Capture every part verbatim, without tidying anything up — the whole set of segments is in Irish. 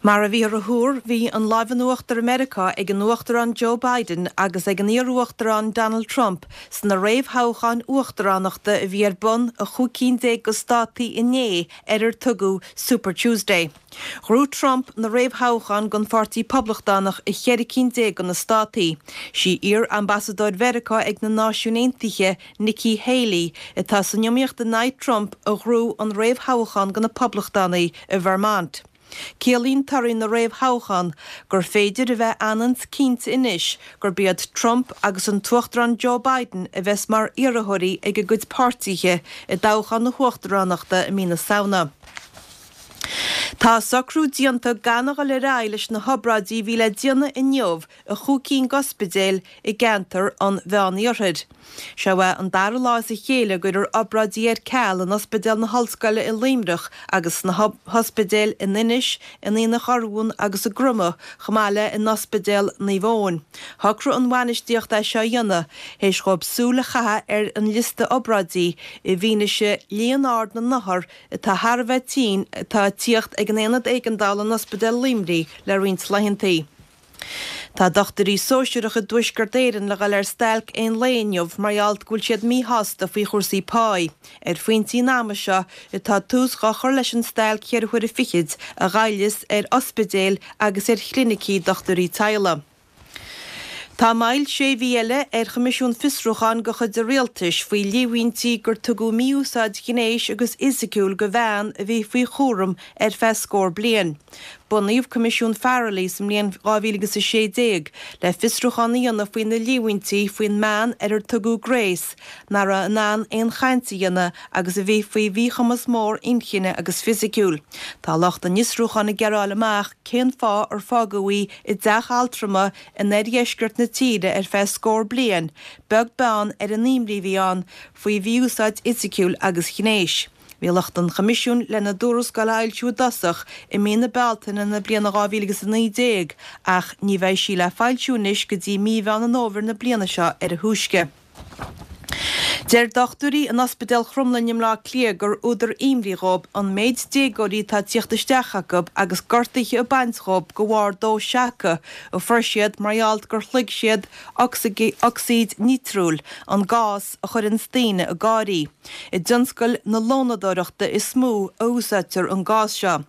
Mar a bhíothar a thuar, bhí an lámh in uachtar i Meiriceá ag an Uachtarán Joe Biden agus ag an iar-uachtarán Donald Trump sna réamhthoghcháin uachtaránachta a bhí ar bun i chúig cinn déag de státaí inné ar ar tugadh Super Tuesday. Ghnóthaigh Trump na réamhthoghcháin don Pháirtí Poblachtánach i cheithre cinn déag de na státaí. Sí iar-ambasadóir Mheiriceá ag na Náisiúin Aontaithe Nikki Haley atá san iomaíocht in aghaidh Trump a ghnóthaigh an réamhthoghchán do na Poblachtánaigh i Vermont. Ciallaíonn torthaí na réamhthoghchán gur féidir a bheith an-chinnte anois gurb iad Trump agus an tUachtarán Joe Biden a bheas mar iarrthóirí ag a gcuid páirtithe i dtoghchán na huachtaránachta i mí na Samhna. Tá socrú déanta gan a dhul ar aghaidh leis na hobráidí a bhí le déanamh inniu i chúig cinn d'ospidéil i gceantar an Mheániarthair. Seo é an dara lá as a chéile go gcuirtear obráidí ar ceal in Ospidéal na hOllscoile i Luimneach agus sna hospidéil in Inis, in Aonach Urmhumhan agus i gCromadh, chomh maith le in Ospidéal Naomh Eoin. Shocraigh an bhainistíocht é seo a dhéanamh, théis dóibh súil a chaitheamh ar an liosta obráidí i bhfianaise líon ard na n-othar atá thar a bheith tinn atá ag tíocht ag an Aonad Éigeandála in Ospidéal Luimnigh le roinnt laethantaí. Tá dochtúirí sóisearacha i dTuaisceart Éireann le dhul ar stailc aon lae inniu mar gheall go bhfuil siad míshásta faoi chúrsaí páí. Ar phointí an ama seo atá tús á chur leis an stailc cheithre huaire fichid a ghoilleas ar ospidéil agus ar chlinicí dochtúirí teaghlaigh. Tá moill sé mhí eile ar Choimisiún Fiosrúcháin de chuid an Rialtais faoi líomhaintí gur tugadh mí-úsáid ghnéis agus fhisiciúil do bhean a bhí faoi chúram ar feadh scór bliain. Bunaíodh Coimisiún Farrelly sa mbliain dhá mhíle agus a sé déag le fiosrúchán a dhéanamh faoi na líomhaintí faoin mbean ar ar tugadh Grace, nach raibh in ann aon chaint a dhéanamh agus a bhí faoi mhíchumas mór inchinne agus fisiciúil. Tá lucht an fhiosrúcháin ag iarraidh a fháil amach cén fáth ar fágadh í i dteach altrama in oirdheisceart na tíre ar feadh scór bliain, beag beann ar an imní a bhí ann faoi mhí-úsáid fhisiciúil agus ghnéis. Bhí lucht an Choimisiúin lena dtuarascáil a fhoilsiú i dtosach i mí na Bealtaine na bliana dhá mhíle agus a naoi déag ach ní bheidh sí le foilsiú anois go dtí mí Mheán an Fhómhair na bliana seo ar a thúisce. Deir dochtúirí in Ospidéal Chromghlinne i mBleá Cliath gur údar imní dhóibh an méid déagóirí atá ag tíocht isteach acu agus gortuithe ag baint dhóibh de bharr dó seaca a fuair siad mar gheall gur shloig siad ocsaíd nítriúil, an gás a chuireanns daoine ag gáirí. I dtionscal na lónadóireachta is mó a úsáidtear an gás seo.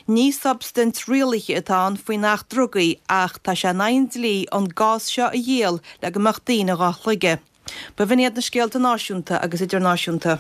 Ní substaint rialaithe atá ann faoin Acht Drugaí ach tá sé in aghaidh an dlí an gás seo a dhíol le go mbeadh daoine dhá shloigeadh. B'in iad na scéalta náisiúnta agus idirnáisiúnta.